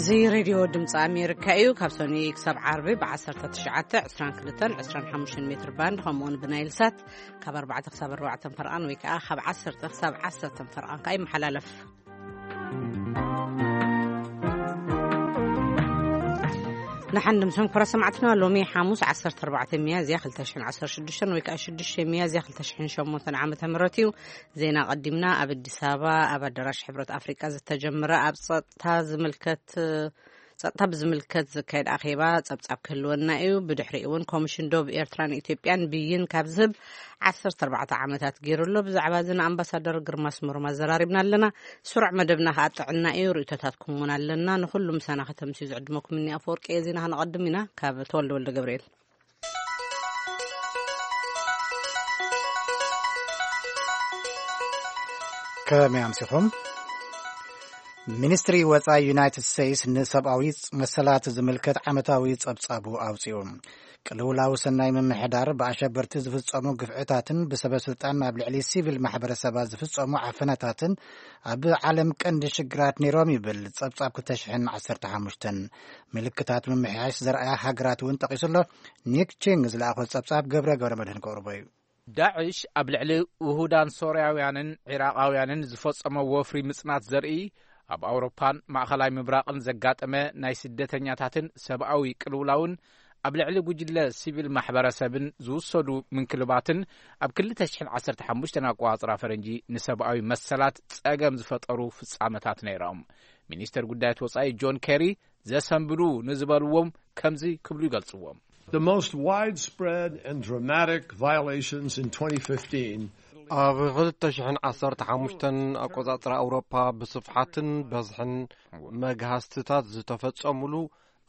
እዚ ሬድዮ ድምፂ ኣሜሪካ እዩ። ካብ ሰኑይ ክሳብ ዓርቢ ብ19፣ 22፣ 25 ሜትር ባንድ፣ ከምኡውን ብናይል ሳት ካብ ኣርባዕተ ክሳብ ኣርባዕተ ፈርቓን ወይ ከዓ ካብ ዓሰርተ ክሳብ ዓሰርተ ፈርቓን ከዓ ይመሓላለፍ። ንሓን ድምሶም ክብራ ሰማዕትና፣ ሎሚ ሓሙስ ዓሰርተ ኣርባዕተ ሚያዝያ ክልተ ሽሕን ዓሰርተ ሽዱሽተን ወይ ከዓ ሽዱሽተ ሚያዝያ ክልተ ሽሕን ሸሞንተን ዓመተ ምህረት እዩ። ዜና ቀዲምና። ኣብ ኣዲስ ኣበባ ኣብ ኣዳራሽ ሕብረት ኣፍሪቃ ዝተጀመረ ኣብ ጸጥታ ዝምልከት ጸጥታ ብዝምልከት ዝካየድ ኣኼባ ጸብጻብ ክህልወና እዩ። ብድሕሪኡ እውን ኮሚሽን ዶብ ኤርትራን ኢትዮጵያን ብይን ካብ ዝህብ ዓሰርተ ኣርባዕተ ዓመታት ገይሩ ኣሎ። ብዛዕባ እዚ ንኣምባሳደር ግርማ ስመሮም ኣዘራሪብና ኣለና። ስሩዕ መደብና ከኣ ጥዕና እዩ። ርእይቶታትኩም እውን ኣለና። ንኹሉ ምሳና ከተምስዩ ዝዕድመኩም እኒ ኣፈወርቂ እየ። ዜና ከነቐድም ኢና። ካብ ተወልደ ወልደ ገብርኤል። ከመይ ኣምሲኹም? ሚኒስትሪ ወጻኢ ዩናይትድ ስቴትስ ንሰብኣዊ መሰላት ዝምልከት ዓመታዊ ጸብጻቡ ኣውጺኡ። ቅልውላው ሰናይ ምምሕዳር፣ ብኣሸበርቲ ዝፍጸሙ ግፍዕታትን ብሰበ ስልጣን ኣብ ልዕሊ ሲቪል ማሕበረሰባት ዝፍጸሙ ዓፈናታትን ኣብ ዓለም ቀንዲ ሽግራት ነይሮም ይብል ጸብጻብ ክልተ ሽሕን ዓሰርተ ሓሙሽተን። ምልክታት ምምሕያሽ ዘርኣያ ሃገራት እውን ጠቒሱ ኣሎ። ኒክ ቺንግ ዝለኣኾ ጸብጻብ ገብረ ገብረ መድህን ከቕርቦ እዩ። ዳዕሽ ኣብ ልዕሊ ውሁዳን ሶርያውያንን ዒራቓውያንን ዝፈጸሞ ወፍሪ ምጽናት ዘርኢ፣ ኣብ ኣውሮፓን ማእኸላይ ምብራቕን ዘጋጠመ ናይ ስደተኛታትን ሰብኣዊ ቅልውላውን ኣብ ልዕሊ ጉጅለ ሲቪል ማሕበረሰብን ዝውሰዱ ምንክልባትን ኣብ ክልተ ሽሕን ዓሰርተ ሓሙሽተን ኣቆጻጽራ ፈረንጂ ንሰብኣዊ መሰላት ጸገም ዝፈጠሩ ፍጻመታት ነይሮም። ሚኒስተር ጉዳያት ወጻኢ ጆን ኬሪ ዘሰንብዱ ንዝበልዎም ከምዚ ክብሉ ይገልጽዎም። The most widespread and dramatic violations in twenty fifteen ኣብ ክልተ ሽሕን ዓሰርተ ሓሙሽተን ኣቆጻጽራ ኣውሮፓ ብስፍሓትን በዝሕን መግሃስትታት ዝተፈጸሙሉ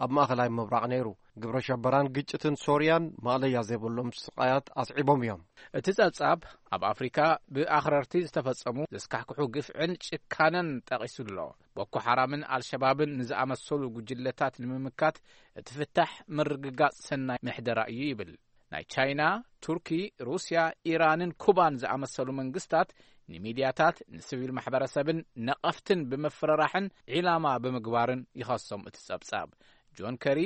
ኣብ ማእኸላይ ምብራቕ ነይሩ። ግብረ ሸበራን ግጭትን ሶርያን ማእለያ ዘይብሎም ስቓያት ኣስዒቦም እዮም። እቲ ጸብጻብ ኣብ ኣፍሪካ ብኣኽረርቲ ዝተፈጸሙ ዘስካሕክሑ ግፍዕን ጭካነን ጠቒሱ ኣሎ። ቦኮ ሓራምን ኣልሸባብን ንዝኣመሰሉ ጉጅለታት ንምምካት እቲ ፍታሕ ምርግጋጽ ሰናይ ምሕደራ እዩ ይብል። ናይ ቻይና፣ ቱርኪ፣ ሩስያ፣ ኢራንን ኩባን ዝኣመሰሉ መንግስታት ንሚድያታት፣ ንሲቪል ማሕበረሰብን ነቐፍትን ብምፍርራሕን ዒላማ ብምግባርን ይኸሶም እቲ ጸብጻብ። ጆን ከሪ፣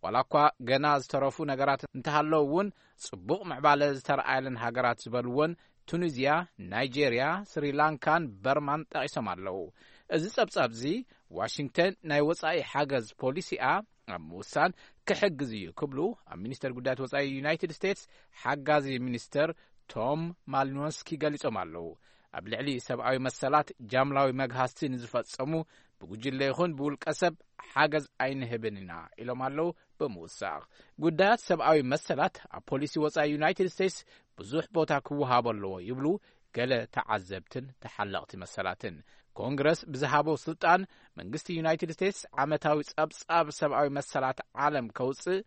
ዋላ እኳ ገና ዝተረፉ ነገራት እንተሃለዉ እውን፣ ጽቡቕ ምዕባለ ዝተረኣየለን ሃገራት ዝበልወን ቱኒዝያ፣ ናይጄርያ፣ ስሪላንካን በርማን ጠቒሶም ኣለዉ። እዚ ጸብጻብ እዚ ዋሽንግተን ናይ ወጻኢ ሓገዝ ፖሊሲኣ ኣብ ምውሳን ክሕግዝ እዩ ክብሉ ኣብ ሚኒስተር ጉዳያት ወጻኢ ዩናይትድ ስቴትስ ሓጋዚ ሚኒስተር ቶም ማሊኖስኪ ገሊጾም ኣለዉ። ኣብ ልዕሊ ሰብኣዊ መሰላት ጃምላዊ መግሃስቲ ንዝፈጸሙ ብጉጅለ ይኹን ብውልቀ ሰብ ሓገዝ ኣይንህብን ኢና ኢሎም ኣለዉ። ብምውሳኽ ጉዳያት ሰብኣዊ መሰላት ኣብ ፖሊሲ ወጻኢ ዩናይትድ ስቴትስ ብዙሕ ቦታ ክወሃቦ ኣለዎ ይብሉ ገለ ተዓዘብትን ተሓለቕቲ መሰላትን። ኮንግረስ ብዝሃቦ ስልጣን መንግስቲ ዩናይትድ ስቴትስ ዓመታዊ ጸብጻብ ሰብኣዊ መሰላት ዓለም ከውጽእ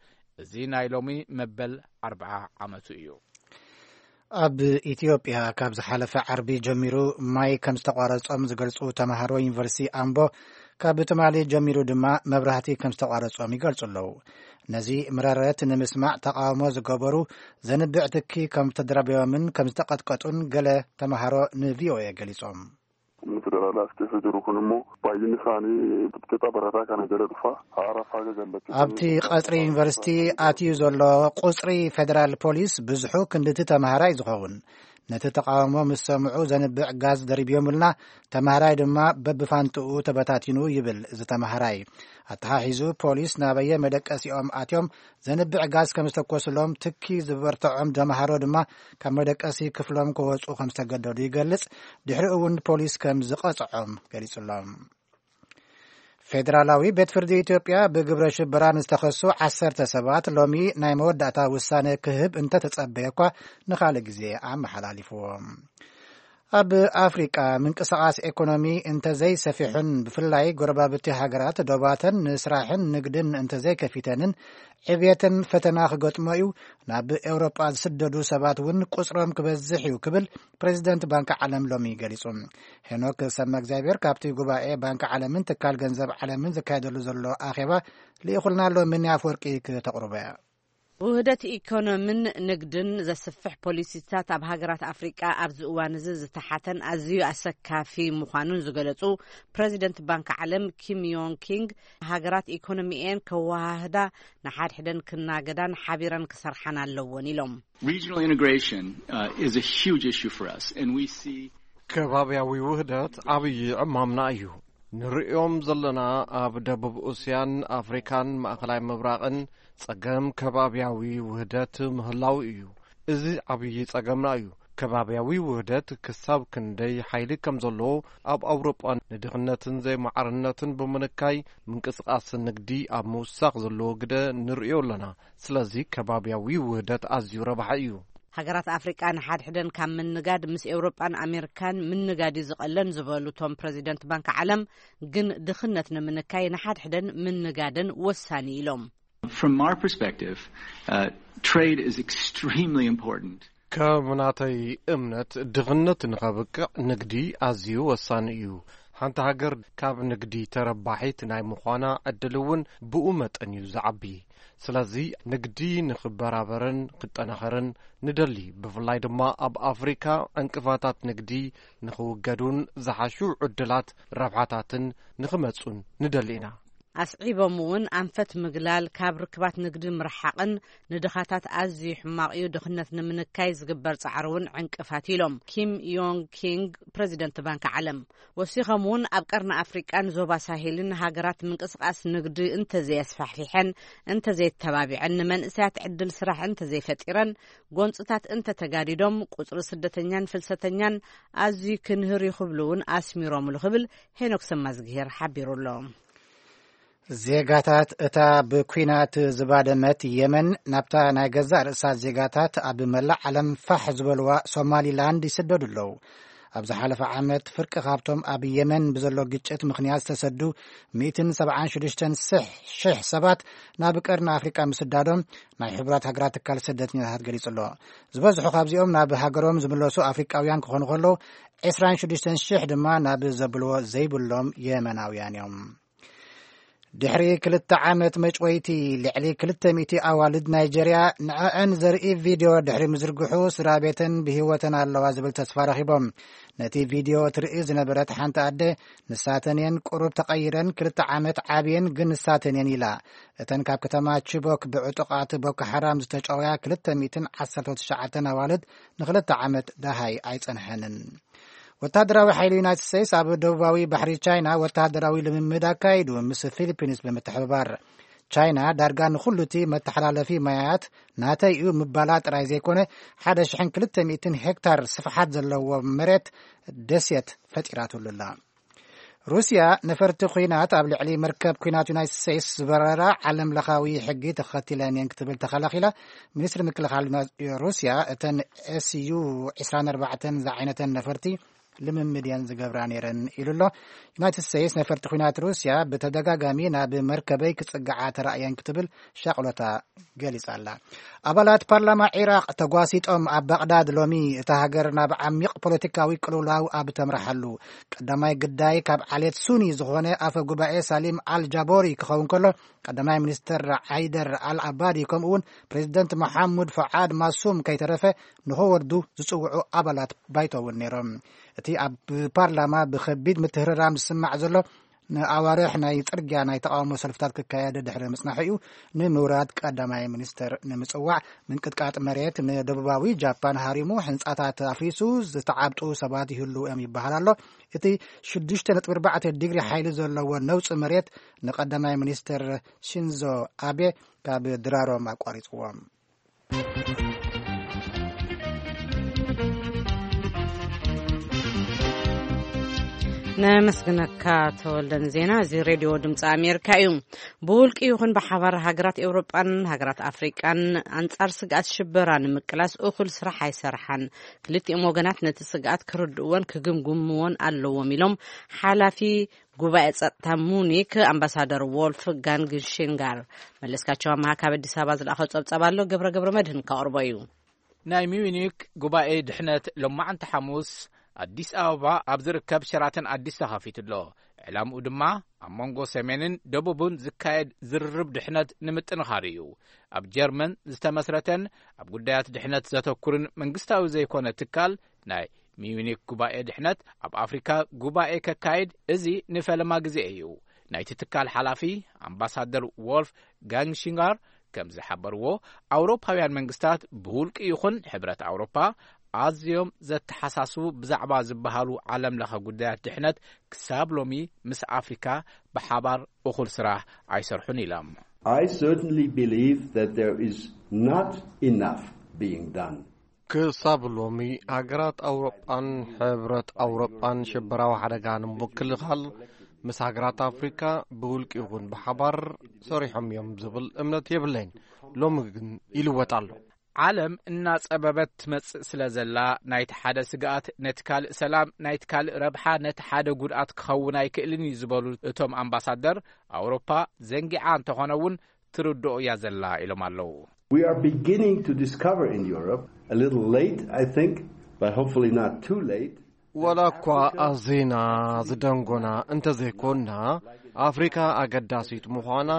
እዚ ናይ ሎሚ መበል ኣርብዓ ዓመቱ እዩ። ኣብ ኢትዮጵያ ካብ ዝሓለፈ ዓርቢ ጀሚሩ ማይ ከም ዝተቋረጾም ዝገልጹ ተማሃሮ ዩኒቨርሲቲ ኣምቦ፣ ካብ ትማሊ ጀሚሩ ድማ መብራህቲ ከም ዝተቋረጾም ይገልጹ ኣለዉ። ነዚ ምረረት ንምስማዕ ተቃውሞ ዝገበሩ ዘንብዕ ትኪ ከም ተደራቢዮምን ከም ዝተቀጥቀጡን ገለ ተማሃሮ ንቪኦኤ ገሊጾም። Kun federaalaa as keessa jiru kun immoo baay'inni isaanii xixiqqaa barataa kana jala dhufa. Haaraaf haga gallachuutti. ኣብቲ ቀጽሪ ዩኒቨርሲቲ ኣትዩ ዘሎ ቁጽሪ ፌደራል ፖሊስ ብዙሑ ክንድቲ ተማሃራይ ዝኸውን። ነቲ ተቃውሞ ምስ ሰምዑ ዘንብዕ ጋዝ ደሪብዮምልና፣ ተማሃራይ ድማ በብፋንትኡ ተበታቲኑ ይብል እዚ ተማሃራይ። ኣተሓሒዙ ፖሊስ ናበየ መደቀሲኦም ኣትዮም ዘንብዕ ጋዝ ከም ዝተኮስሎም፣ ትኪ ዝበርትዖም ተማሃሮ ድማ ካብ መደቀሲ ክፍሎም ክወጹ ከም ዝተገደዱ ይገልጽ። ድሕሪኡ እውን ፖሊስ ከም ዝቐጽዖም ገሊጹሎም። ፌደራላዊ ቤት ፍርዲ ኢትዮጵያ ብግብረ ሽበራ ንዝተኸሱ ዓሰርተ ሰባት ሎሚ ናይ መወዳእታ ውሳነ ክህብ እንተተጸበየ እኳ ንኻልእ ግዜ ኣመሓላሊፍዎ። ኣብ ኣፍሪቃ ምንቅስቓስ ኤኮኖሚ እንተዘይሰፊሑን ብፍላይ ጎረባብቲ ሃገራት ዶባተን ንስራሕን ንግድን እንተዘይከፊተንን ዕብየተን ፈተና ክገጥሞ እዩ። ናብ ኤውሮጳ ዝስደዱ ሰባት እውን ቁጽሮም ክበዝሕ እዩ ክብል ፕሬዚደንት ባንኪ ዓለም ሎሚ ገሊጹ። ሄኖክ ሰመ እግዚኣብሔር ካብቲ ጉባኤ ባንኪ ዓለምን ትካል ገንዘብ ዓለምን ዝካየደሉ ዘሎ ኣኼባ ልኢኹልና ኣሎ። ምኒ ኣፍወርቂ ክተቕርቦ እያ። ውህደት ኢኮኖምን ንግድን ዘስፍሕ ፖሊሲታት ኣብ ሃገራት ኣፍሪቃ ኣብዚ እዋን እዚ ዝተሓተን ኣዝዩ ኣሰካፊ ምዃኑን ዝገለጹ ፕረዚደንት ባንክ ዓለም ኪም ዮንግ ኪንግ፣ ሃገራት ኢኮኖሚኤን ከወሃህዳ፣ ንሓድሕደን ክናገዳን ሓቢረን ክሰርሓን ኣለዎን ኢሎም። Regional integration, uh, is a huge issue for us, and we see ከባብያዊ ውህደት ዓብዪ ዕማምና እዩ። ንርእዮም ዘለና ኣብ ደቡብ እስያን ኣፍሪካን ማእኸላይ ምብራቕን ጸገም ከባብያዊ ውህደት ምህላው እዩ። እዚ ዓብዪ ጸገምና እዩ። ከባብያዊ ውህደት ክሳብ ክንደይ ሓይሊ ከም ዘለዎ ኣብ ኣውሮጳ ንድኽነትን ዘይማዕርነትን ብምንካይ ምንቅስቓስ ንግዲ ኣብ ምውሳኽ ዘለዎ ግደ ንርእዮ ኣለና። ስለዚ ከባብያዊ ውህደት ኣዝዩ ረብሓ እዩ። ሃገራት ኣፍሪቃ ንሓድሕደን ካብ ምንጋድ ምስ ኤውሮጳን ኣሜሪካን ምንጋድ እዩ ዝቐለን ዝበሉ እቶም ፕረዚደንት ባንክ ዓለም፣ ግን ድኽነት ንምንካይ ንሓድሕደን ምንጋደን ወሳኒ ኢሎም። From our perspective, uh, trade is extremely important. ከም ናተይ እምነት ድኽነት ንኸብቅዕ ንግዲ ኣዝዩ ወሳኒ እዩ። ሓንቲ ሃገር ካብ ንግዲ ተረባሒት ናይ ምዃና ዕድል እውን ብኡ መጠን እዩ ዝዓቢ። ስለዚ ንግዲ ንኽበራበርን ክጠናኸርን ንደሊ። ብፍላይ ድማ ኣብ ኣፍሪካ ዕንቅፋታት ንግዲ ንኽውገዱን ዝሓሹ ዕድላት ረብሓታትን ንኽመጹን ንደሊ ኢና። ኣስዒቦም እውን ኣንፈት ምግላል፣ ካብ ርክባት ንግዲ ምርሓቕን ንድኻታት ኣዝዩ ሕማቕ እዩ፣ ድኽነት ንምንካይ ዝግበር ጻዕሪ እውን ዕንቅፋት ኢሎም ኪም ዮንግ ኪንግ ፕረዚደንት ባንክ ዓለም። ወሲኾም እውን ኣብ ቀርኒ ኣፍሪቃን ዞባ ሳሄልን ሃገራት ምንቅስቓስ ንግዲ እንተዘየስፋሕፊሐን እንተዘየተባቢዐን ንመንእሰያት ዕድል ስራሕ እንተዘይፈጢረን ጎንፅታት እንተተጋዲዶም ቁፅሪ ስደተኛን ፍልሰተኛን ኣዝዩ ክንህር እዩ ክብሉ እውን ኣስሚሮምሉ ክብል ሄኖክ ሰማዝግሄር ሓቢሩ ኣሎ። ዜጋታት እታ ብኲናት ዝባደመት የመን ናብታ ናይ ገዛእ ርእሳ ዜጋታት ኣብ መላእ ዓለም ፋሕ ዝበልዋ ሶማሊላንድ ይስደዱ ኣለዉ። ኣብ ዝሓለፈ ዓመት ፍርቂ ካብቶም ኣብ የመን ብዘሎ ግጭት ምኽንያት ዝተሰዱ ሚእትን ሰብዓን ሽዱሽተን ሽሕ ሰባት ናብ ቀርኒ ኣፍሪቃ ምስዳዶም ናይ ሕቡራት ሃገራት ትካል ስደተኛታት ገሊጹ ኣሎ። ዝበዝሑ ካብዚኦም ናብ ሃገሮም ዝምለሱ ኣፍሪቃውያን ክኾኑ ከለዉ፣ ዕስራን ሽዱሽተን ሽሕ ድማ ናብ ዘብልዎ ዘይብሎም የመናውያን እዮም። ድሕሪ ክልተ ዓመት መጭወይቲ፣ ልዕሊ ክልተ ሚእቲ ኣዋልድ ናይጀርያ ንዐዐን ዘርኢ ቪድዮ ድሕሪ ምዝርግሑ፣ ስድራ ቤተን ብህይወተን ኣለዋ ዝብል ተስፋ ረኺቦም። ነቲ ቪድዮ ትርኢ ዝነበረት ሓንቲ ኣደ፣ ንሳተን እየን ቁሩብ ተቐይረን፣ ክልተ ዓመት ዓብየን ግን ንሳተን እየን ኢላ። እተን ካብ ከተማ ቺቦክ ብዕጡቓት ቦኮ ሓራም ዝተጨወያ ክልተ ሚእትን ዓሰርተ ትሽዓተን ኣዋልድ ንክልተ ዓመት ደሃይ ኣይጸንሐንን። ወታደራዊ ሓይሊ ዩናይትድ ስቴትስ ኣብ ደቡባዊ ባሕሪ ቻይና ወታደራዊ ልምምድ ኣካይዱ፣ ምስ ፊሊፒንስ ብምትሕብባር። ቻይና ዳርጋ ንኹሉ እቲ መተሓላለፊ ማያት ናተይ እዩ ምባላ ጥራይ ዘይኮነ፣ ሓደ ሽሕን ክልተ ሚእትን ሄክታር ስፍሓት ዘለዎ መሬት ደሴት ፈጢራትሉ ኣላ። ሩስያ ነፈርቲ ኲናት ኣብ ልዕሊ መርከብ ኲናት ዩናይትድ ስቴትስ ዝበረራ ዓለም ለኻዊ ሕጊ ተኸቲለን እየን ክትብል ተኸላኺላ። ሚኒስትሪ ምክልኻል ዩና-፣ ሩስያ፣ እተን ኤስዩ ዕስራን ኣርባዕተን ዝዓይነተን ነፈርቲ ልምምድ እየን ዝገብራ ነይረን ኢሉ ኣሎ። ዩናይትድ ስቴትስ ነፈርቲ ኲናት ሩስያ ብተደጋጋሚ ናብ መርከበይ ክጽግዓ ተራእየን ክትብል ሻቕሎታ ገሊጻ ኣላ። ኣባላት ፓርላማ ዒራቕ ተጓሲጦም ኣብ ባቕዳድ ሎሚ፣ እታ ሃገር ናብ ዓሚቕ ፖለቲካዊ ቅልውላው ኣብ ተምርሓሉ ቀዳማይ ግዳይ ካብ ዓሌት ሱኒ ዝኾነ ኣፈ ጉባኤ ሳሊም ኣል ጃቦሪ ክኸውን ከሎ፣ ቀዳማይ ሚኒስተር ዓይደር ኣል ኣባዲ ከምኡ እውን ፕሬዚደንት መሓሙድ ፈዓድ ማሱም ከይተረፈ ንኸወርዱ ዝጽውዑ ኣባላት ባይቶ እውን ነይሮም። እቲ ኣብ ፓርላማ ብኸቢድ ምትህርራም ዝስማዕ ዘሎ ንኣዋርሕ ናይ ጽርግያ ናይ ተቓውሞ ሰልፍታት ክካየድ ድሕሪ ምጽናሑ እዩ። ንምውራድ ቀዳማይ ሚኒስተር ንምጽዋዕ ምንቅጥቃጥ መሬት ንደቡባዊ ጃፓን ሃሪሙ፣ ህንጻታት ኣፍሪሱ፣ ዝተዓብጡ ሰባት ይህልዉ እዮም ይበሃል ኣሎ። እቲ ሽዱሽተ ነጥቢ ኣርባዕተ ዲግሪ ሓይሊ ዘለዎ ነውጺ መሬት ንቀዳማይ ሚኒስተር ሺንዞ ኣቤ ካብ ድራሮም ኣቋሪጽዎም። ነመስግነካ ተወልደ ንዜና። እዚ ሬድዮ ድምፂ ኣሜሪካ እዩ። ብውልቂ ይኹን ብሓባር ሃገራት ኤውሮጳን ሃገራት ኣፍሪቃን ኣንጻር ስግኣት ሽበራ ንምቅላስ እኹል ስራሕ ኣይሰርሓን። ክልቲኦም ወገናት ነቲ ስግኣት ክርድእዎን ክግምግምዎን ኣለዎም ኢሎም ሓላፊ ጉባኤ ጸጥታ ሙኒክ ኣምባሳደር ዎልፍ ጋንግ ሽንጋር። መለስካቸው ኣመሃ ካብ ኣዲስ ኣበባ ዝለኣኸ ጸብጸብ ኣሎ። ገብረ ገብረ መድህን ከቕርቦ እዩ። ናይ ሚዩኒክ ጉባኤ ድሕነት ሎማዕንቲ ሓሙስ ኣዲስ ኣበባ ኣብ ዝርከብ ሸራተን ኣዲስ ተኸፊቱ ኣሎ። ዕላምኡ ድማ ኣብ መንጎ ሰሜንን ደቡብን ዝካየድ ዝርርብ ድሕነት ንምጥንኻር እዩ። ኣብ ጀርመን ዝተመስረተን ኣብ ጉዳያት ድሕነት ዘተኩርን መንግስታዊ ዘይኮነ ትካል ናይ ሚዩኒክ ጉባኤ ድሕነት ኣብ ኣፍሪካ ጉባኤ ከካይድ እዚ ንፈለማ ግዜ እዩ። ናይቲ ትካል ሓላፊ ኣምባሳደር ዎልፍ ጋንግሽንጋር ከም ዝሓበርዎ፣ ኣውሮፓውያን መንግስታት ብውልቂ ይኹን ሕብረት ኣውሮፓ ኣዝዮም ዘተሓሳስቡ ብዛዕባ ዝበሃሉ ዓለም ለኸ ጉዳያት ድሕነት ክሳብ ሎሚ ምስ ኣፍሪካ ብሓባር እኹል ስራሕ ኣይሰርሑን ኢሎም። I certainly believe that there is not enough being done. ክሳብ ሎሚ ሃገራት ኣውሮጳን ሕብረት ኣውሮጳን ሽበራዊ ሓደጋ ንምክልኻል ምስ ሃገራት ኣፍሪካ ብውልቂ ይኹን ብሓባር ሰሪሖም እዮም ዝብል እምነት የብለይን። ሎሚ ግን ይልወጥ ኣሎ። ዓለም እናጸበበት ትመጽእ ስለ ዘላ፣ ናይቲ ሓደ ስግኣት ነቲ ካልእ ሰላም፣ ናይቲ ካልእ ረብሓ ነቲ ሓደ ጉድኣት ክኸውን ኣይክእልን እዩ ዝበሉ እቶም ኣምባሳደር፣ ኣውሮፓ ዘንጊዓ እንተኾነ እውን ትርድኦ እያ ዘላ ኢሎም ኣለዉ። We are beginning to discover in Europe, a little late, I think, but hopefully not too late. ወላ እኳ ኣዚና ዝደንጎና እንተዘይኮንና፣ ኣፍሪካ ኣገዳሲት ምዃና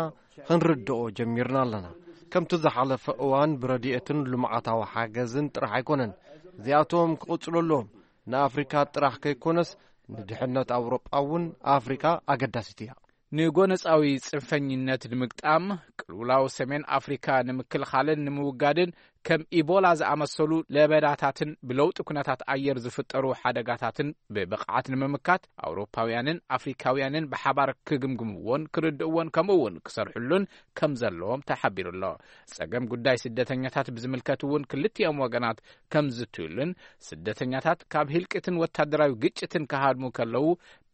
ክንርድኦ ጀሚርና ኣለና። ከምቲ ዝሓለፈ እዋን ብረድኤትን ልምዓታዊ ሓገዝን ጥራሕ ኣይኮነን። እዚኣቶም ክቕጽሉ ኣለዎም። ንኣፍሪካ ጥራሕ ከይኮነስ ንድሕነት ኣውሮጳ እውን ኣፍሪካ ኣገዳሲት እያ። ንጎነጻዊ ጽንፈኝነት ንምግጣም፣ ቅልውላው ሰሜን ኣፍሪካ ንምክልኻልን ንምውጋድን ከም ኢቦላ ዝኣመሰሉ ለበዳታትን ብለውጢ ኩነታት ኣየር ዝፍጠሩ ሓደጋታትን ብብቕዓት ንምምካት ኣውሮፓውያንን ኣፍሪካውያንን ብሓባር ክግምግምዎን ክርድእዎን ከምኡ እውን ክሰርሕሉን ከም ዘለዎም ተሓቢሩ ኣሎ። ጸገም ጉዳይ ስደተኛታት ብዝምልከት እውን ክልቲኦም ወገናት ከም ዝትዩሉን ስደተኛታት ካብ ህልቂትን ወታደራዊ ግጭትን ክሃድሙ ከለዉ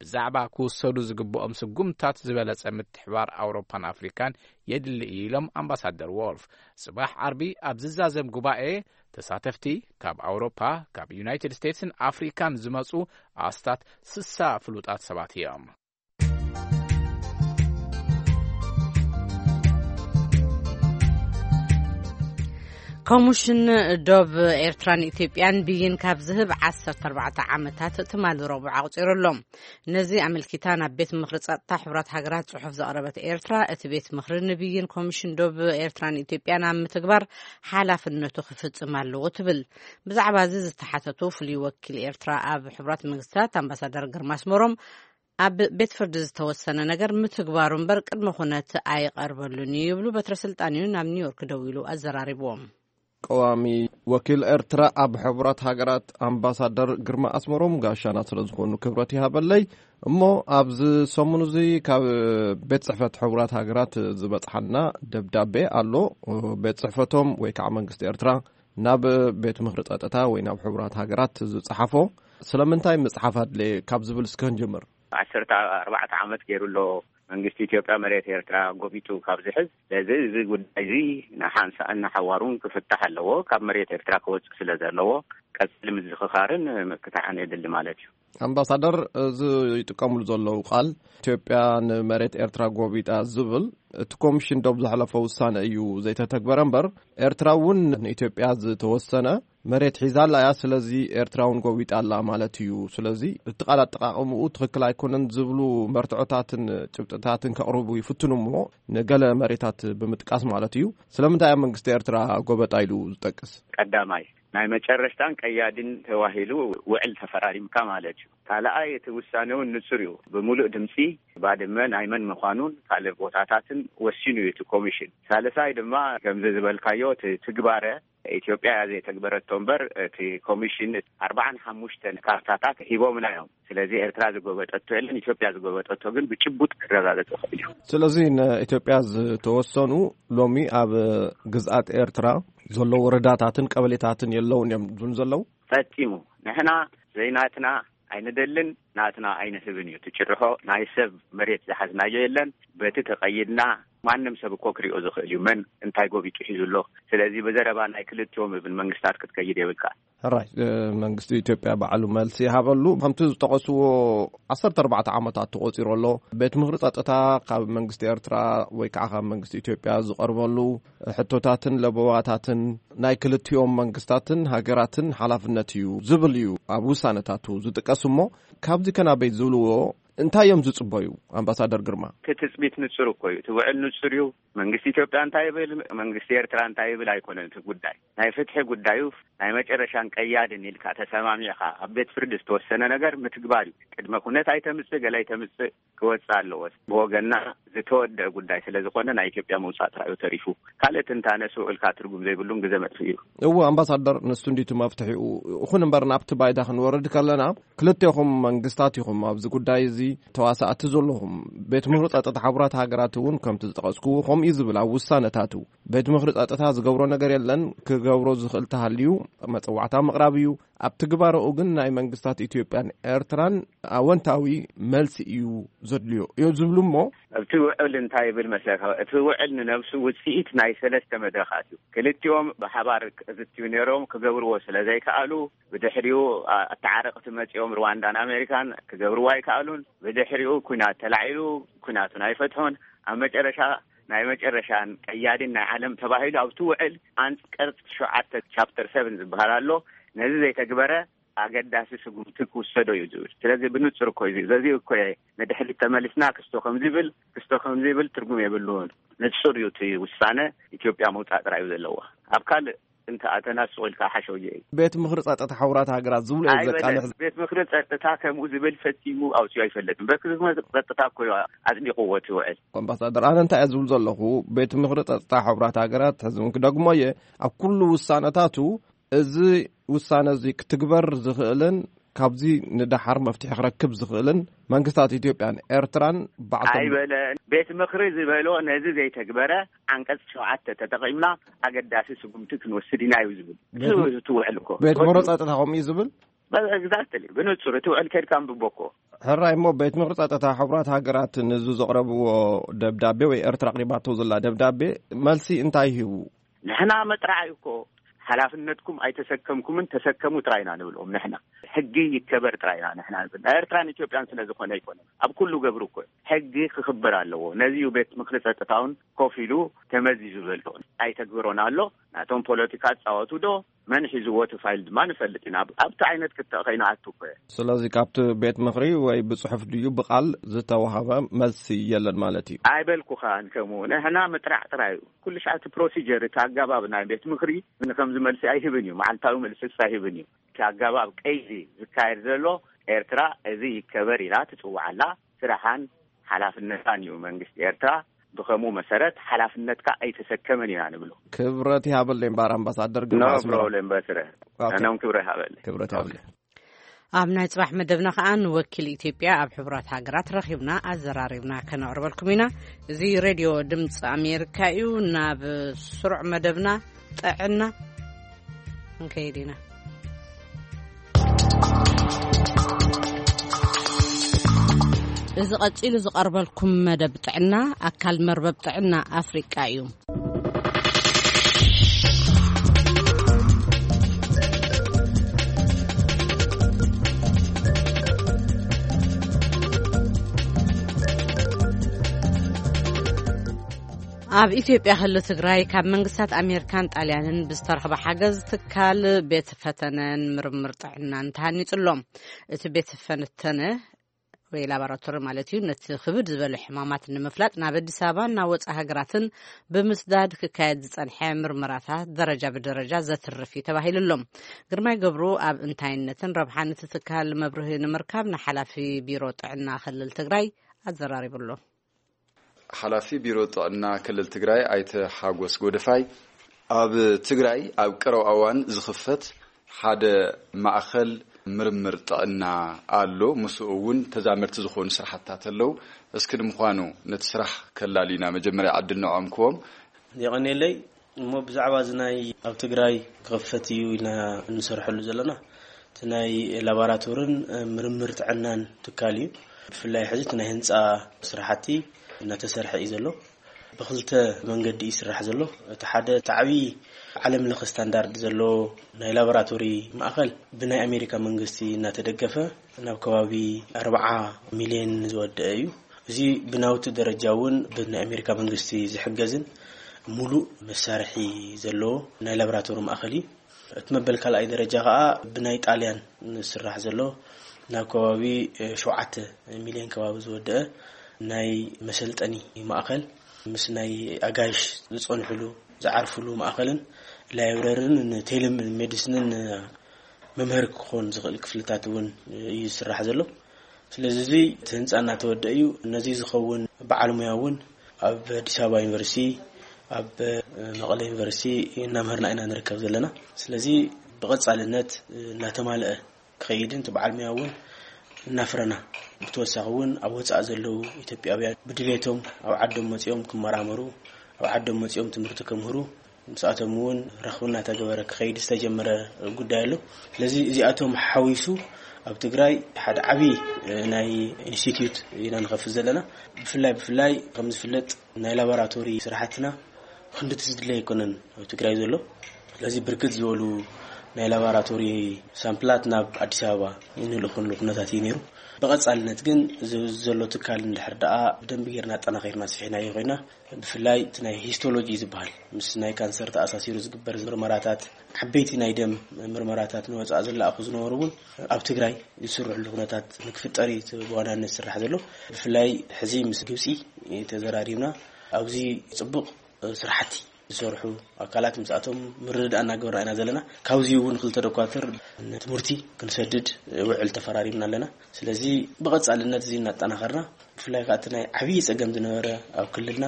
ብዛዕባ ክውሰዱ ዝግብኦም ስጉምታት ዝበለጸ ምትሕባር ኣውሮፓን ኣፍሪካን የድሊ እዩ ኢሎም ኣምባሳደር ዎልፍ። ጽባሕ ዓርቢ ኣብ ዝዛዘም ጉባኤ ተሳተፍቲ ካብ ኣውሮፓ፣ ካብ ዩናይትድ ስቴትስን ኣፍሪካን ዝመጹ ኣስታት ስሳ ፍሉጣት ሰባት እዮም። ኮሚሽን ዶብ ኤርትራን ኢትዮጵያን ብይን ካብ ዝህብ ዓሰርተ ኣርባዕተ ዓመታት ትማሊ ረቡዕ ኣቑጺሩ ኣሎ። ነዚ ኣመልኪታ ናብ ቤት ምኽሪ ጸጥታ ሕቡራት ሃገራት ጽሑፍ ዘቕረበት ኤርትራ፣ እቲ ቤት ምኽሪ ንብይን ኮሚሽን ዶብ ኤርትራን ኢትዮጵያን ኣብ ምትግባር ሓላፍነቱ ክፍጽም ኣለዎ ትብል። ብዛዕባ እዚ ዝተሓተቱ ፍሉይ ወኪል ኤርትራ ኣብ ሕቡራት መንግስታት ኣምባሳደር ግርማ ኣስመሮም፣ ኣብ ቤት ፍርዲ ዝተወሰነ ነገር ምትግባሩ እምበር ቅድመ ኩነት ኣይቐርበሉን እዩ ይብሉ። በትረ ስልጣን እዩ ናብ ኒውዮርክ ደዊሉ ኣዘራሪብዎም። ቀዋሚ ወኪል ኤርትራ ኣብ ሕቡራት ሃገራት ኣምባሳደር ግርማ ኣስመሮም ጋሻና ስለ ዝኾኑ ክብረት ይሃበለይ። እሞ ኣብዚ ሰሙን እዚ ካብ ቤት ጽሕፈት ሕቡራት ሃገራት ዝበጽሓና ደብዳቤ ኣሎ። ቤት ጽሕፈቶም ወይ ከዓ መንግስቲ ኤርትራ ናብ ቤት ምኽሪ ጸጥታ ወይ ናብ ሕቡራት ሃገራት ዝጸሓፎ ስለምንታይ ምጽሓፍ ኣድለየ ካብ ዝብል እስከ ንጀምር። ዓሰርተ ኣርባዕተ ዓመት ገይሩ ኣሎ መንግስቲ ኢትዮጵያ መሬት ኤርትራ ጎቢጡ ካብ ዝሕዝ። ስለዚ እዚ ጉዳይ እዚ ንሓንሳእን ንሓዋሩን ክፍታሕ ኣለዎ። ካብ መሬት ኤርትራ ክወፅእ ስለ ዘለዎ ቀፅሊ ምዝኽኻርን ምክታሕን የድሊ ማለት እዩ። ኣምባሳደር፣ እዚ ይጥቀምሉ ዘለዉ ቃል ኢትዮጵያ ንመሬት ኤርትራ ጎቢጣ ዝብል እቲ ኮሚሽን ዶብ ዘሕለፎ ውሳነ እዩ ዘይተተግበረ እምበር፣ ኤርትራ እውን ንኢትዮጵያ ዝተወሰነ መሬት ሒዛ ኣላ እያ። ስለዚ ኤርትራ እውን ጎቢጣ ኣላ ማለት እዩ። ስለዚ እቲ ቃል ኣጠቃቅምኡ ትኽክል ኣይኮነን ዝብሉ መርትዖታትን ጭብጥታትን ከቕርቡ ይፍትኑ እሞ፣ ንገለ መሬታት ብምጥቃስ ማለት እዩ። ስለምንታይ ኣብ መንግስቲ ኤርትራ ጎበጣ ኢሉ ዝጠቅስ? ቀዳማይ፣ ናይ መጨረሽታን ቀያዲን ተባሂሉ ውዕል ተፈራሪምካ ማለት እዩ። ካልኣይ፣ እቲ ውሳነ እውን ንጹር እዩ። ብምሉእ ድምጺ ባድመ ናይ መን ምዃኑን ካልእ ቦታታትን ወሲኑ እዩ እቲ ኮሚሽን። ሳልሳይ ድማ፣ ከምዚ ዝበልካዮ፣ እቲ ትግባረ ኢትዮጵያ እያ ዘይተግበረቶ እምበር፣ እቲ ኮሚሽን ኣርባዓን ሓሙሽተን ካርታታት ሂቦምና እዮም። ስለዚ ኤርትራ ዝጎበጠቶ የለን፣ ኢትዮጵያ ዝጎበጠቶ ግን ብጭቡጥ ክረጋገጽ ይኽእል እዩ። ስለዚ ንኢትዮጵያ ዝተወሰኑ ሎሚ ኣብ ግዝኣት ኤርትራ ዘለዉ ወረዳታትን ቀበሌታትን የለውን እዮም ዝብሉ ዘለዉ። ፈጺሙ። ንሕና ዘይናትና ኣይንደልን፣ ናትና ኣይንህብን እዩ። እቲ ጭርሖ ናይ ሰብ መሬት ዝሓዝናዮ የለን። በቲ ተቐይድና ማንም ሰብ እኮ ክሪኦ ዝኽእል እዩ መን እንታይ ጎቢጡ ሒዙ ኣሎ። ስለዚ ብዘረባ ናይ ክልቲኦም እውን መንግስታት ክትከይድ የብልካ። ሕራይ፣ መንግስቲ ኢትዮጵያ ባዕሉ መልሲ ይሃበሉ። ከምቲ ዝጠቐስዎ ዓሰርተ ኣርባዕተ ዓመታት ተቖጺሩ ኣሎ። ቤት ምኽሪ ጸጥታ ካብ መንግስቲ ኤርትራ ወይ ከዓ ካብ መንግስቲ ኢትዮጵያ ዝቐርበሉ ሕቶታትን ለበዋታትን ናይ ክልቲኦም መንግስታትን ሃገራትን ሓላፍነት እዩ ዝብል እዩ ኣብ ውሳነታቱ ዝጥቀስ። እሞ ካብዚ ከናበይ ዝብልዎ እንታይ እዮም ዝጽበዩ? ኣምባሳደር ግርማ። እቲ ትጽቢት ንጹር እኮ እዩ። እቲ ውዕል ንጹር እዩ። መንግስቲ ኢትዮጵያ እንታይ ይብል፣ መንግስቲ ኤርትራ እንታይ ይብል ኣይኮነን እቲ ጉዳይ። ናይ ፍትሒ ጉዳዩ ናይ መጨረሻን ቀያድን ኢልካ ተሰማሚዕካ ኣብ ቤት ፍርዲ ዝተወሰነ ነገር ምትግባር እዩ። ቅድመ ኩነት ኣይተምጽእ፣ ገለ ኣይተምጽእ፣ ክወጽእ ኣለዎ። ብወገና ዝተወደአ ጉዳይ ስለ ዝኾነ ናይ ኢትዮጵያ ምውጻእ ጥራዩ ተሪፉ። ካልእ ትንታነ ስውእልካ ትርጉም ዘይብሉን ግዘ መጥፍእ እዩ። እዎ ኣምባሳደር፣ ንሱ እንዲቱ መፍትሒኡ። ይኹን እምበር ናብቲ ባይዳ ክንወርድ ከለና ክልቴኹም መንግስታት ኢኹም ኣብዚ ጉዳይ እዚ ተዋሳእቲ ዘለኹም። ቤት ምኽሪ ጸጥታ ሕቡራት ሃገራት እውን ከምቲ ዝጠቐስኩዎ ከምኡ እዩ ዝብል ኣብ ውሳነታቱ። ቤት ምኽሪ ጸጥታ ዝገብሮ ነገር የለን፣ ክገብሮ ዝኽእል ተሃልዩ መጸዋዕታ ምቕራብ እዩ። ኣብ ትግባረኡ ግን ናይ መንግስታት ኢትዮጵያን ኤርትራን ኣወንታዊ መልሲ እዩ ዘድልዮ እዮም ዝብሉ እሞ። ኣብቲ ውዕል እንታይ ይብል መስለካ? እቲ ውዕል ንነብሱ ውጽኢት ናይ ሰለስተ መድረኻት እዩ። ክልቲኦም ብሓባር ዝትዩ ነይሮም ክገብርዎ ስለ ዘይከኣሉ፣ ብድሕሪኡ ኣ- ኣተዓረቕቲ መጺኦም ሩዋንዳን ኣሜሪካን ክገብርዎ ኣይከኣሉን። ብድሕሪኡ ኩናት ተላዒሉ፣ ኩናቱን ኣይፈትሑን። ኣብ መጨረሻ ናይ መጨረሻን ቀያዲን ናይ ዓለም ተባሂሉ ኣብቲ ውዕል ኣንቀጽ ሸውዓተ ቻፕተር ሰቨን ዝበሃል ኣሎ። ነዚ ዘይተግበረ ኣገዳሲ ስጉምቲ ክውሰዶ እዩ ዝብል። ስለዚ ብንጹር እኮ እዩ። በዚ እኮ እየ ንድሕሪት ተመሊስና ክስቶ ከም ዝብል፣ ክስቶ ከም ዝብል ትርጉም የብሉን። ንጹር እዩ እቲ ውሳነ። ኢትዮጵያ ምውጻእ ጥራይ እዩ ዘለዋ። ኣብ ካልእ እንተ ኣተናስቑ ኢልካ ሓሸውየ እዩ። ቤት ምኽሪ ጸጥታ ሕቡራት ሃገራት ዝብሉ እዮም ዘቃልሕ። ቤት ምኽሪ ጸጥታ ከምኡ ዝብል ፈጺሙ ኣውፅዩ ኣይፈለጥን። ቤት ምኽሪ ጸጥታ እኮ እዩ ኣጽዲቕዎ እቲ ውዕል። ኣምባሳደር፣ ኣነ እንታይ እየ ዝብል ዘለኹ፣ ቤት ምኽሪ ጸጥታ ሕቡራት ሃገራት ሕዚ እውን ክደግሞ እየ፣ ኣብ ኩሉ ውሳነታቱ እዚ ውሳነ እዚ ክትግበር ዝኽእልን ካብዚ ንደሓር መፍትሒ ክረክብ ዝኽእልን መንግስታት ኢትዮጵያን ኤርትራን ባዕቶም ኣይበለን። ቤት ምኽሪ ዝበሎ ነዚ ዘይተግበረ ዓንቀጽ ሸውዓተ ተጠቒምና ኣገዳሲ ስጉምቲ ክንወስድ ኢና እዩ ዝብል። ቤት ም- እቲ ውዕል እኮ ቤት ምኽሪ ጸጥታ ከምኡ እዩ ዝብል። ኤግዛክትሊ፣ ብንጹር እቲ ውዕል ከድካ ኣንብቦ እኮ። ሕራይ እሞ ቤት ምኽሪ ጸጥታ ሕቡራት ሃገራት ንዚ ዘቕረብዎ ደብዳቤ ወይ ኤርትራ ኣቕሪባቶ ዘላ ደብዳቤ መልሲ እንታይ ሂቡ? ንሕና መጥራዓይ እኮ ሓላፍነትኩም ኣይተሰከምኩምን፣ ተሰከሙ ጥራይና ንብልዎም። ንሕና ሕጊ ይከበር ጥራይና ንሕና ንብል። ናይ ኤርትራን ኢትዮጵያን ስለ ዝኾነ ኣይኮነን። ኣብ ኩሉ ገብሩ እኮ ሕጊ ክኽበር ኣለዎ። ነዚ እዩ ቤት ምኽሪ ጸጥታውን ኮፍ ኢሉ ተመዚዙ ዘሎ። ኣይተግብሮን ኣሎ። ናቶም ፖለቲካ ጻወቱ ዶ መን ሒዝዎ እቲ ፋይል ድማ ንፈልጥ ኢና። ኣብ- ኣብቲ ዓይነት ክትዕ ከይንኣቱ እኮ እየ። ስለዚ ካብቲ ቤት ምኽሪ ወይ ብጽሑፍ ድዩ ብቓል ዝተዋህበ መልሲ የለን ማለት እዩ? ኣይበልኩኻን ከምኡ። ንሕና ምጥራዕ ጥራይ እዩ። ኩሉ ሻዕ እቲ ፕሮሲጀር፣ እቲ ኣገባብ ናይ ቤት ምኽሪ ንከምዚ መልሲ ኣይህብን እዩ፣ መዓልታዊ መልስስ ኣይህብን እዩ። እቲ ኣገባብ ቀይዲ ዝካየድ ዘሎ፣ ኤርትራ እዚ ይከበር ኢላ ትጽውዓላ ስራሓን ሓላፍነታን እዩ። መንግስቲ ኤርትራ ብኸምኡ መሰረት ሓላፍነትካ ኣይተሰከመን ኢና ንብሎ። ክብረት ይሃበለይ እምበኣር ኣምባሳደር ግርማ ኖ ኣስመራ። ፕሮብሌም በስረ ኣነ እውን ክብረት ይሃበለይ። ክብረት ይሃበለይ። ኣብ ናይ ጽባሕ መደብና ከኣ ንወኪል ኢትዮጵያ ኣብ ሕቡራት ሃገራት ረኺብና ኣዘራሪብና ከነቕርበልኩም ኢና። እዚ ሬድዮ ድምፂ ኣሜሪካ እዩ። ናብ ስሩዕ መደብና ጥዕና ክንከይድ ኢና። እዚ ቀጺሉ ዝቐርበልኩም መደብ ጥዕና ኣካል መርበብ ጥዕና ኣፍሪቃ እዩ። ኣብ ኢትዮጵያ ክልል ትግራይ ካብ መንግስታት ኣሜሪካን ጣልያንን ብዝተረኽበ ሓገዝ ትካል ቤት ፈተነን ምርምር ጥዕናን ተሃኒጹ ኣሎ። እቲ ቤት ፈተነ ወይ ላቦራቶሪ ማለት እዩ፣ ነቲ ክብድ ዝበለ ሕማማት ንምፍላጥ ናብ ኣዲስ ኣበባን ናብ ወፃኢ ሃገራትን ብምስዳድ ክካየድ ዝፀንሐ ምርመራታት ደረጃ ብደረጃ ዘትርፍ እዩ ተባሂሉ ኣሎ። ግርማይ ገብሩ ኣብ እንታይነትን ረብሓን እቲ ትካል መብርሂ ንምርካብ ንሓላፊ ቢሮ ጥዕና ክልል ትግራይ ኣዘራሪቡ ኣሎ። ሓላፊ ቢሮ ጥዕና ክልል ትግራይ ኣይተ ሓጎስ ጎደፋይ፣ ኣብ ትግራይ ኣብ ቀረባ እዋን ዝኽፈት ሓደ ማእኸል ምርምር ጥዕና ኣሎ። ምስኡ እውን ተዛመድቲ ዝኾኑ ስራሕታት ኣለዉ። እስኪ ንምዃኑ ነቲ ስራሕ ከላልዩና መጀመርያ ዕድል ንዕኦም ክቦም። የቐንየለይ። እሞ ብዛዕባ እዚ ናይ ኣብ ትግራይ ክኽፈት እዩ ኢልና እንሰርሐሉ ዘለና፣ እቲ ናይ ላቦራቶርን ምርምር ጥዕናን ትካል እዩ። ብፍላይ ሕዚ እቲ ናይ ህንፃ ስራሕቲ እናተሰርሐ እዩ ዘሎ። ብኽልተ መንገዲ እዩ ይስራሕ ዘሎ። እቲ ሓደ እቲ ዓብዪ ዓለም ለኸ ስታንዳርድ ዘለዎ ናይ ላቦራቶሪ ማእኸል ብናይ ኣሜሪካ መንግስቲ እናተደገፈ ናብ ከባቢ ኣርብዓ ሚልዮን ዝወደአ እዩ። እዚ ብናውቲ ደረጃ እውን ብናይ ኣሜሪካ መንግስቲ ዝሕገዝን ሙሉእ መሳርሒ ዘለዎ ናይ ላቦራቶሪ ማእኸል እዩ። እቲ መበል ካልኣይ ደረጃ ከዓ ብናይ ጣልያን ዝስራሕ ዘሎ ናብ ከባቢ ሸውዓተ ሚሊዮን ከባቢ ዝወደአ ናይ መሰልጠኒ ማእኸል ምስ ናይ ኣጋይሽ ዝፀንሕሉ ዝዓርፍሉ ማእኸልን ላይብረርን ንቴሌሜዲስንን መምህር ክኾን ዝኽእል ክፍልታት እውን እዩ ዝስራሕ ዘሎ። ስለዚ እዚ እቲ ህንፃ እናተወደአ እዩ። ነዚ ዝኸውን በዓል ሙያ እውን ኣብ ኣዲስ ኣበባ ዩኒቨርሲቲ፣ ኣብ መቐለ ዩኒቨርሲቲ እናምህርና ኢና ንርከብ ዘለና። ስለዚ ብቐፃልነት እናተማልአ ክኸይድን እቲ በዓል ሙያ እውን እናፍረና፣ ብተወሳኺ እውን ኣብ ወፃኢ ዘለዉ ኢትዮጵያውያን ብድሌቶም ኣብ ዓዶም መፂኦም ክመራመሩ፣ ኣብ ዓዶም መፂኦም ትምህርቲ ከምህሩ፣ ምስኣቶም እውን ረኽቢ እናተገበረ ክኸይድ ዝተጀመረ ጉዳይ ኣሎ። ስለዚ እዚኣቶም ሓዊሱ ኣብ ትግራይ ሓደ ዓብዪ ናይ ኢንስቲትዩት ኢና ንኸፍት ዘለና። ብፍላይ ብፍላይ ከም ዝፍለጥ ናይ ላቦራቶሪ ስራሕትና ክንድቲ ዝድለ ኣይኮነን ኣብ ትግራይ ዘሎ። ስለዚ ብርክት ዝበሉ ናይ ላቦራቶሪ ሳምፕላት ናብ ኣዲስ ኣበባ እንልእኽሉ ኩነታት እዩ ነይሩ። ብቐፃልነት ግን እዚ ዘሎ ትካል እንድሕር ደኣ ብደንቢ ጌርና ኣጠናኺርና ስሒናዮ ኮይና፣ ብፍላይ እቲ ናይ ሂስቶሎጂ ዝበሃል ምስ ናይ ካንሰር ተኣሳሲሩ ዝግበር ምርመራታት፣ ዓበይቲ ናይ ደም ምርመራታት ንወፃኢ ዝለኣኹ ዝነበሩ እውን ኣብ ትግራይ ዝስርሕሉ ኩነታት ንክፍጠር እዩ እቲ ብዋናነት ዝስራሕ ዘሎ። ብፍላይ ሕዚ ምስ ግብፂ ተዘራሪብና ኣብዚ ፅቡቅ ስራሕቲ ዝሰርሑ ኣካላት ምስኣቶም ምርድዳእ እናገበርና ኢና ዘለና። ካብዚ እውን ክልተ ዶኳትር ንትምህርቲ ክንሰድድ ውዕል ተፈራሪምና ኣለና። ስለዚ ብቐፃልነት እዚ እናጠናኸርና፣ ብፍላይ ከዓ እቲ ናይ ዓብዪ ፀገም ዝነበረ ኣብ ክልልና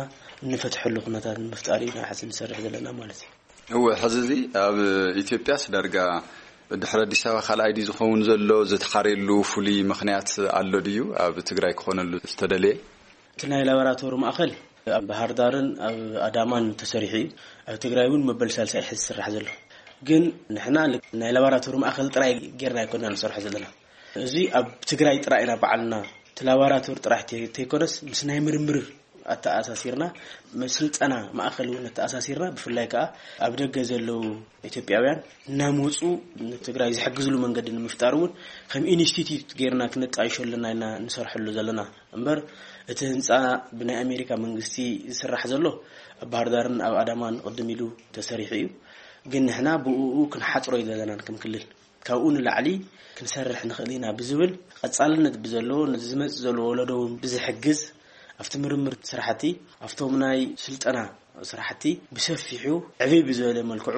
እንፈትሐሉ ኩነታት ንምፍጣር ኢና ሕዚ ንሰርሕ ዘለና ማለት እዩ። እወ፣ ሕዚ እዚ ኣብ ኢትዮጵያስ ዳርጋ ድሕሪ ኣዲስ ኣበባ ካልኣይ ድዩ ዝኸውን ዘሎ? ዝተሓርየሉ ፍሉይ ምኽንያት ኣሎ ድዩ? ኣብ ትግራይ ክኾነሉ ዝተደለየ? እቲ ናይ ላቦራቶሪ ማእኸል ኣብ ባህር ዳርን ኣብ ኣዳማን ተሰሪሑ እዩ። ኣብ ትግራይ እውን መበል ሳልሳይ ሕዚ ዝስራሕ ዘሎ። ግን ንሕና ልክ ናይ ላቦራቶሪ ማእኸል ጥራይ ጌርና ኣይኮና ንሰርሖ ዘለና። እዚ ኣብ ትግራይ ጥራይ ኢና ባዕልና እቲ ላቦራቶሪ ጥራሕ ተ-፣ ተይኮነስ ምስ ናይ ምርምር ኣተኣሳሲርና፣ ምስ ስልጠና ማእኸል እውን ኣተኣሳሲርና፣ ብፍላይ ከዓ ኣብ ደገ ዘለዉ ኢትዮጵያውያን እናመፁ ንትግራይ ዝሕግዝሉ መንገዲ ንምፍጣር እውን ከም ኢንስቲትዩት ጌርና ክነጣይሾ ኣለና ኢልና ንሰርሐሉ ዘለና። እምበር እቲ ህንፃ ብናይ ኣሜሪካ መንግስቲ ዝስራሕ ዘሎ ኣብ ባህር ዳርን ኣብ ኣዳማን ቅድም ኢሉ ተሰሪሑ እዩ። ግን ንሕና ብእኡ ክንሓፅሮ ኣይደለናን ከም ክልል። ካብኡ ንላዕሊ ክንሰርሕ ንኽእል ኢና ብዝብል ቀፃልነት ብዘለዎ ነዚ ዝመፅእ ዘሎ ወለዶ እውን ብዝሕግዝ ኣብቲ ምርምር ስራሕቲ፣ ኣብቶም ናይ ስልጠና ስራሕቲ ብሰፊሑ ዕብይ ብዝበለ መልክዑ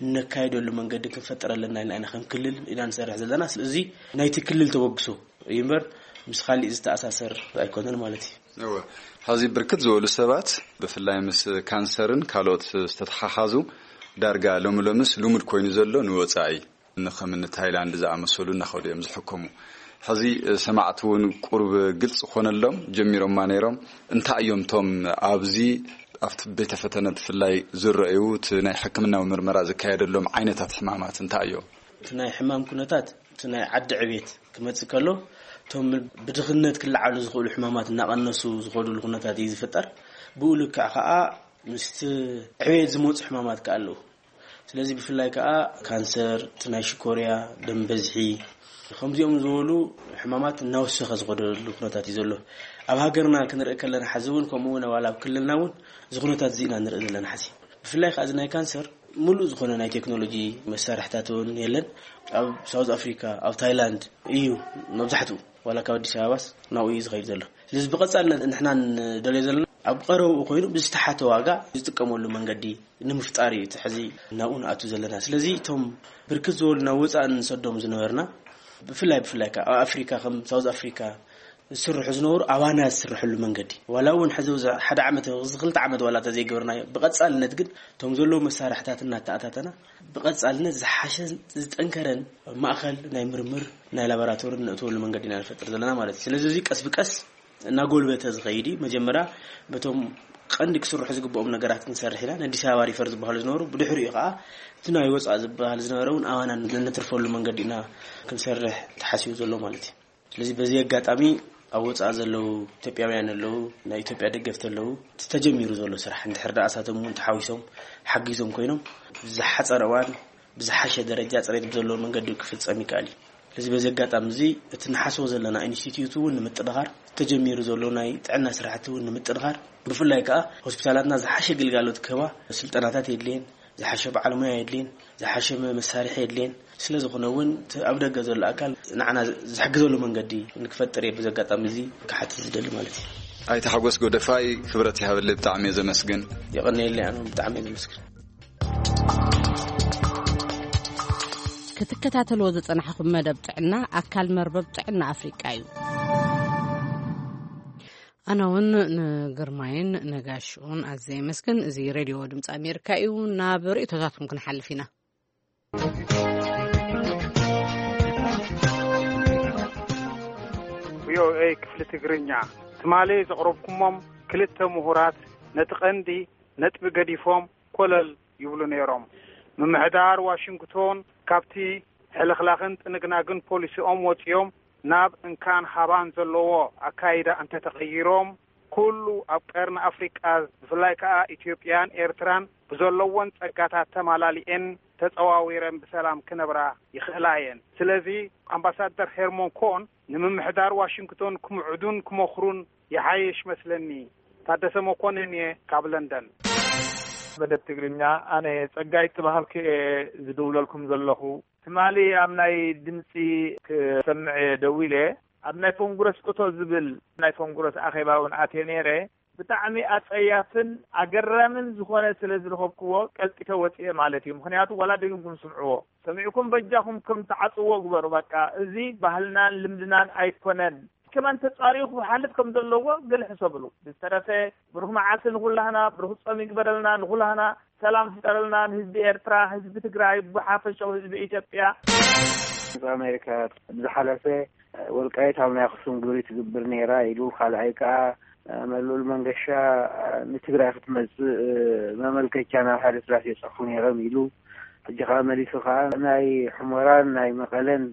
እነካይደሉ መንገዲ ክንፈጥር ኣለና ኢልና ኢና ከም ክልል ኢና ንሰርሕ ዘለና። ስለዚ ናይቲ ክልል ተበግሶ እዩ እምበር ምስ ካሊእ ዝተኣሳሰር ኣይኮነን ማለት እዩ። እወ፣ ሕዚ ብርክት ዝበሉ ሰባት ብፍላይ ምስ ካንሰርን ካልኦት ዝተተሓሓዙ ዳርጋ ሎሚ ሎምስ ልሙድ ኮይኑ ዘሎ ንወፃኢ ንኸምኒ ታይላንድ ዝኣመሰሉ እናኸዱ እዮም ዝሕከሙ። ሕዚ ሰማዕቲ እውን ቁሩብ ግልፂ ክኾነሎም ጀሚሮማ ነይሮም። እንታይ እዮም እቶም ኣብዚ ኣብቲ ቤተ ፈተነ ብፍላይ ዝረኣዩ እቲ ናይ ሕክምናዊ ምርመራ ዝካየደሎም ዓይነታት ሕማማት እንታይ እዮም? እቲ ናይ ሕማም ኩነታት እቲ ናይ ዓዲ ዕቤት ክመፅእ ከሎ እቶም ብድኽነት ክለዓሉ ዝኽእሉ ሕማማት እናቐነሱ ዝኸዱሉ ኩነታት እዩ ዝፍጠር። ብኡ ልክዕ ከዓ ምስቲ ዕቤት ዝመፁ ሕማማት ከዓ ኣለዉ። ስለዚ ብፍላይ ከዓ ካንሰር፣ እቲ ናይ ሽኮርያ፣ ደም በዝሒ፣ ከምዚኦም ዝበሉ ሕማማት እናወሰኸ ዝኸደሉ ኩነታት እዩ ዘሎ። ኣብ ሃገርና ክንርኢ ከለና ሓዚ እውን ከምኡ እውን ዋላ ኣብ ክልልና እውን እዚ ኩነታት እዚ ኢና ንርኢ ዘለና ሓዚ። ብፍላይ ከዓ እዚ ናይ ካንሰር ሙሉእ ዝኾነ ናይ ቴክኖሎጂ መሳርሕታት እውን የለን። ኣብ ሳውዝ ኣፍሪካ፣ ኣብ ታይላንድ እዩ መብዛሕትኡ፣ ዋላ ካብ ኣዲስ ኣበባስ ናብኡ እዩ ዝኸይድ ዘሎ። ስለዚ ብቐፃልነት ንሕና ንደልዮ ዘለና ኣብ ቀረብኡ ኮይኑ ብዝተሓተ ዋጋ ዝጥቀመሉ መንገዲ ንምፍጣር እዩ እቲ ሕዚ ናብኡ ንኣቱ ዘለና። ስለዚ እቶም ብርክት ዝበሉ ናብ ወፃኢ ንሰዶም ዝነበርና ብፍላይ ብፍላይ ከዓ ኣብ ኣፍሪካ ከም ሳውዝ ኣፍሪካ ዝስርሑ ዝነበሩ ኣባና ዝስርሕሉ መንገዲ ዋላ እውን ሕዚ ኣብዚ ሓደ ዓመት እዚ ክልተ ዓመት ዋላ ተዘይገበርናዮ ብቐፃልነት ግን እቶም ዘለዉ መሳርሕታት እናተኣታተና ብቐፃልነት ዝሓሸ ዝጠንከረን ማእኸል ናይ ምርምር ናይ ላቦራቶሪ ንእትወሉ መንገዲ ኢና ንፈጥር ዘለና ማለት እዩ። ስለዚ እዚ ቀስ ብቀስ እናጎልበተ ዝኸይድ እዩ። መጀመርያ በቶም ቀንዲ ክስርሑ ዝግብኦም ነገራት ክንሰርሕ ኢና። ንኣዲስ ኣበባ ሪፈር ዝበሃሉ ዝነበሩ ብድሕሪኡ ከዓ እቲ ናይ ወፃእ ዝበሃል ዝነበረ እውን ኣባና ነትርፈሉ መንገዲ ኢና ክንሰርሕ ተሓሲቡ ዘሎ ማለት እዩ። ስለዚ በዚ ኣጋጣሚ ኣብ ወፃእ ዘለዉ ኢትዮጵያውያን ኣለዉ፣ ናይ ኢትዮጵያ ደገፍቲ ኣለዉ። እቲ ተጀሚሩ ዘሎ ስራሕ እንድሕር ደኣ እሳቶም እውን ተሓዊሶም ሓጊዞም ኮይኖም ብዝሓፀረ እዋን ብዝሓሸ ደረጃ ፅሬት ብዘለዎ መንገዲ ክፍፀም ይከኣል እዩ። ስለዚ በዚ ኣጋጣሚ እዚ እቲ ንሓስቦ ዘለና ኢንስቲትዩት እውን ንምጥንኻር፣ ተጀሚሩ ዘሎ ናይ ጥዕና ስራሕቲ እውን ንምጥንኻር፣ ብፍላይ ከዓ ሆስፒታላትና ዝሓሸ ግልጋሎት ክህባ ስልጠናታት የድልየን፣ ዝሓሸ በዓል ሞያ የድልየን፣ ዝሓሸ መ- መሳርሒ የድልየን። ስለ ዝኾነ እውን እቲ ኣብ ደገ ዘሎ ኣካል ንዓና ዝሕግዘሉ መንገዲ ንክፈጥር እየ ብዚ ኣጋጣሚ እዚ ክሓትት ዝደሊ ማለት እዩ። ኣይተ ሓጎስ ጎደፋይ፣ ክብረት ይሃበለይ፣ ብጣዕሚ እየ ዘመስግን። የቐንየለይ፣ ኣነ ብጣዕሚ እየ ዘመስግን። ክትከታተልዎ ዝጸናሕኩም መደብ ጥዕና ኣካል መርበብ ጥዕና ኣፍሪቃ እዩ። ኣነ እውን ንግርማይን ነጋሽኡን ኣዝየ የመስግን። እዚ ሬድዮ ድምፂ ኣሜሪካ እዩ። ናብ ርእቶታትኩም ክንሓልፍ ኢና። ቪኦኤ ክፍሊ ትግርኛ፣ ትማሊ ዘቕረብኩሞም ክልተ ምሁራት ነቲ ቀንዲ ነጥቢ ገዲፎም ኮለል ይብሉ ነይሮም። ምምሕዳር ዋሽንግቶን ካብቲ ሕልኽላኽን ጥንግናግን ፖሊሲኦም ወጺኦም ናብ እንካን ሃባን ዘለዎ ኣካይዳ እንተተቐይሮም፣ ኩሉ ኣብ ቀርኒ ኣፍሪቃ፣ ብፍላይ ከኣ ኢትዮጵያን ኤርትራን ብዘለወን ጸጋታት ተማላሊኤን ተጸዋዊረን ብሰላም ክነብራ ይኽእላ እየን። ስለዚ ኣምባሳደር ሄርሞን ኮን ንምምሕዳር ዋሽንግቶን ክምዕዱን ክመኽሩን ይሓይሽ መስለኒ። ታደሰ መኮንን እየ ካብ ለንደን። መደብ ትግርኛ፣ ኣነ ጸጋይ ተባሃልኩ እየ ዝድውለልኩም ዘለኹ። ትማሊ ኣብ ናይ ድምፂ ክሰምዕ እየ ደዊለ። ኣብ ናይ ኮንግረስ እቶ ዝብል ናይ ኮንግረስ ኣኼባ እውን ኣትየ ነይረ። ብጣዕሚ ኣጸያፍን ኣገራምን ዝኾነ ስለ ዝረኸብክዎ ቀልጢፈ ወፅየ ማለት እዩ። ምኽንያቱ ዋላ ደጊምኩም ስምዕዎ፣ ሰሚዕኩም በጃኹም ከም ትዓፅዎ ግበሩ። በቃ እዚ ባህልናን ልምድናን ኣይኮነን። ከማን ተጻሪኹ ክሓልፍ ከም ዘለዎ ገለ ሕሰብሉ። ብዝተረፈ ብሩኽ መዓልቲ ንኹላህና፣ ብሩኽ ጾም ይግበረልና ንኹላህና፣ ሰላም ፍጠረልና ንህዝቢ ኤርትራ፣ ህዝቢ ትግራይ፣ ብሓፈሻው ህዝቢ ኢትዮጵያ። ኣሜሪካ ብዝሓለፈ ወልቃይት ኣብ ናይ ኣኽሱም ግብሪ ትግብር ነይራ ኢሉ፣ ካልኣይ ከኣ መሉል መንገሻ ንትግራይ ክትመጽእ መመልከቻ ናብ ሓደ ስራሕ የጸፉ ነይሮም ኢሉ፣ ሕጂ ከኣ መሊሱ ከኣ ናይ ሑመራን ናይ መቐለን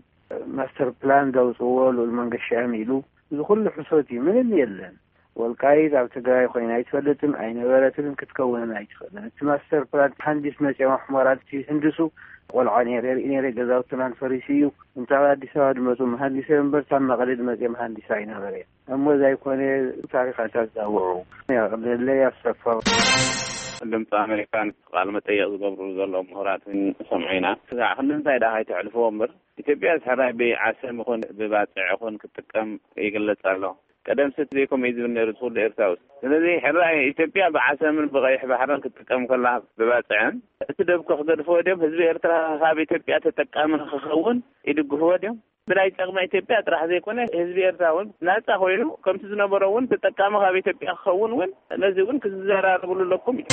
ማስተር ፕላን ዘውፅዎ ልኡል መንገሻ እዮም ኢሉ። እዚ ኩሉ ሕሶት እዩ፣ ምንም የለን። ወልቃይት ኣብ ትግራይ ኮይና ኣይትፈልጥን ኣይነበረትን ክትከውንን ኣይትኽእልን። እቲ ማስተር ፕላን ሃንዲስ መፅኦም ኣሕመራት ይህንድሱ። ቆልዓ ነይረ ርኢ ነይረ፣ ገዛውትናን ፈሪሱ እዩ። እንተ ኣብ ኣዲስ ኣበባ ድመፁ መሃንዲስ እዮም እምበር፣ ካብ መቐለ ድመፅኦም መሃንዲስ ኣይነበረ። እሞ እዛ ኣይኮነ ታሪኽ ኣይታዛውዑ። ያቕለለ ያሰፋው። ድምፂ ኣሜሪካን ቃል መጠየቕ ዝገብሩ ዘለዉ ምሁራትን ሰምዑ ኢና። ክሳዕ ክንዲ እንታይ ደኣ ኣይተሕልፍዎ እምበር፣ ኢትዮጵያ ሕራይ ብዓሰብ ይኹን ብባፅዕ ይኹን ክትጥቀም ይግለጽ ኣሎ። ቀደም ስት ዘይከምኡ እዩ ዝብል ነይሩ እቲ ኩሉ ኤርትራዊ። ስለዚ ሕራይ ኢትዮጵያ ብዓሰብን ብቐይሕ ባሕርን ክትጥቀም ከላ ብባፅዕን እቲ ደብኮ ክገድፍዎ ድዮም? ህዝቢ ኤርትራ ካብ ኢትዮጵያ ተጠቃሚ ንክኸውን ይድግፍዎ ድዮም? ብናይ ጸቕሚ ኢትዮጵያ ጥራሕ ዘይኮነ ህዝቢ ኤርትራ እውን ናጻ ኮይኑ ከምቲ ዝነበሮ እውን ተጠቃሚ ካብ ኢትዮጵያ ክኸውን እውን ነዚ እውን ክዘራረብሉ ኣለኩም እዩ።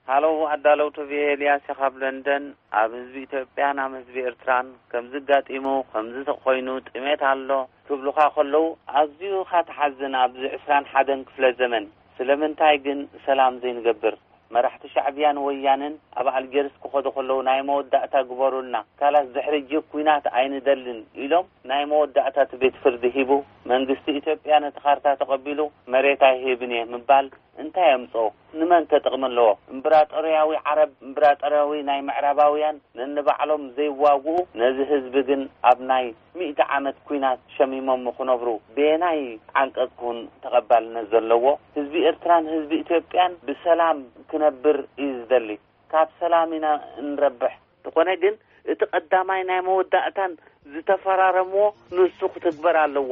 ሃሎ ኣዳለውቲ ቪኦኤ ኤልያስ ካብ ለንደን። ኣብ ህዝቢ ኢትዮጵያን ኣብ ህዝቢ ኤርትራን ከምዚ ኣጋጢሙ ከምዚ ኮይኑ ጥሜት ኣሎ ክብሉኻ ከለዉ ኣዝዩ ኢኻ ትሓዝን። ኣብዚ ዕስራን ሓደን ክፍለ ዘመን ስለምንታይ ግን ሰላም ዘይንገብር? መራሕቲ ሻዕብያን ወያነን ኣብ ኣልጀርስ ክኸዱ ከለዉ ናይ መወዳእታ ግበሩልና፣ ካላስ ድሕሪ ሕጂ ኲናት ኣይንደልን ኢሎም ናይ መወዳእታ እቲ ቤት ፍርዲ ሂቡ። መንግስቲ ኢትዮጵያ ነቲ ካርታ ተቐቢሉ መሬት ኣይህብን እየ ምባል እንታይ የምጽኦ? ንመን ከ ጥቕሚ ኣለዎ? እምብራጦርያዊ ዓረብ፣ እምብራጦርያዊ ናይ ምዕራባውያን ነንባዕሎም ዘይዋግኡ፣ ነዚ ህዝቢ ግን ኣብ ናይ ሚእቲ ዓመት ኲናት ሸሚሞም ክነብሩ በየናይ ዓንቀጽ ክውን ተቐባልነት ዘለዎ? ህዝቢ ኤርትራን ህዝቢ ኢትዮጵያን ብሰላም ክነብር እዩ ዝደሊ። ካብ ሰላም ኢና እንረብሕ። ዝኾነ ግን እቲ ቀዳማይ ናይ መወዳእታን ዝተፈራረምዎ ንሱ ክትግበር ኣለዎ።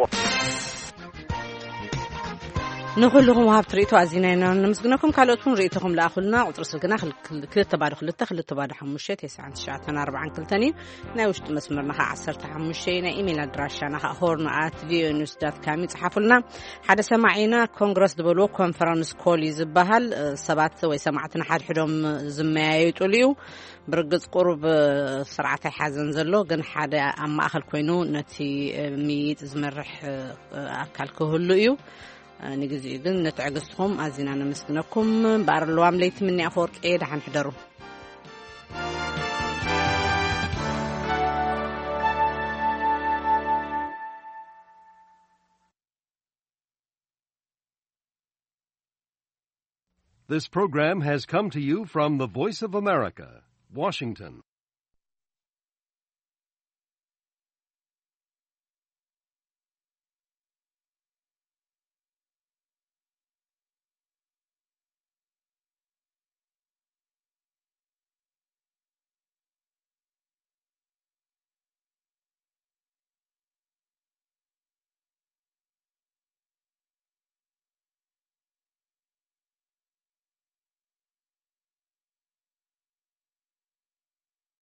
ንኹልኹም ወሃብቲ ርእይቶ ኣዚና ኢና ነመስግነኩም። ካልኦት እውን ርእይቶኹም ለኣኹልና። ቁጽሪ ስልክና ክልተ ባዶ ክልተ ክልተ ባዶ ሓሙሽተ ተስዓን ትሽዓተን ኣርባዓን ክልተን እዩ። ናይ ውሽጢ መስመርና ኸዓ ዓሰርተ ሓሙሽተ እዩ። ናይ ኢሜይል ኣድራሻና ኸዓ ሆርን ኣት ቪኦኤ ኒውስ ዳት ካም እዩ። ጽሓፉልና። ሓደ ሰማዒና ኮንግረስ ዝበልዎ ኮንፈረንስ ኮል እዩ ዝበሃል። ሰባት ወይ ሰማዕትና ሓድሕዶም ዝመያየጡሉ እዩ። ብርግጽ ቁሩብ ስርዓት ኣይሓዘን ዘሎ፣ ግን ሓደ ኣብ ማእኸል ኮይኑ ነቲ ምይይጥ ዝመርሕ ኣካል ክህሉ እዩ። ንግዚኡ ግን ንትዕግስትኹም ኣዚና ነመስግነኩም። በኣር ለዋም ለይቲ ምኒ ኣፈወርቂ፣ ደሓን ሕደሩ። This program has come to you from the Voice of America, Washington.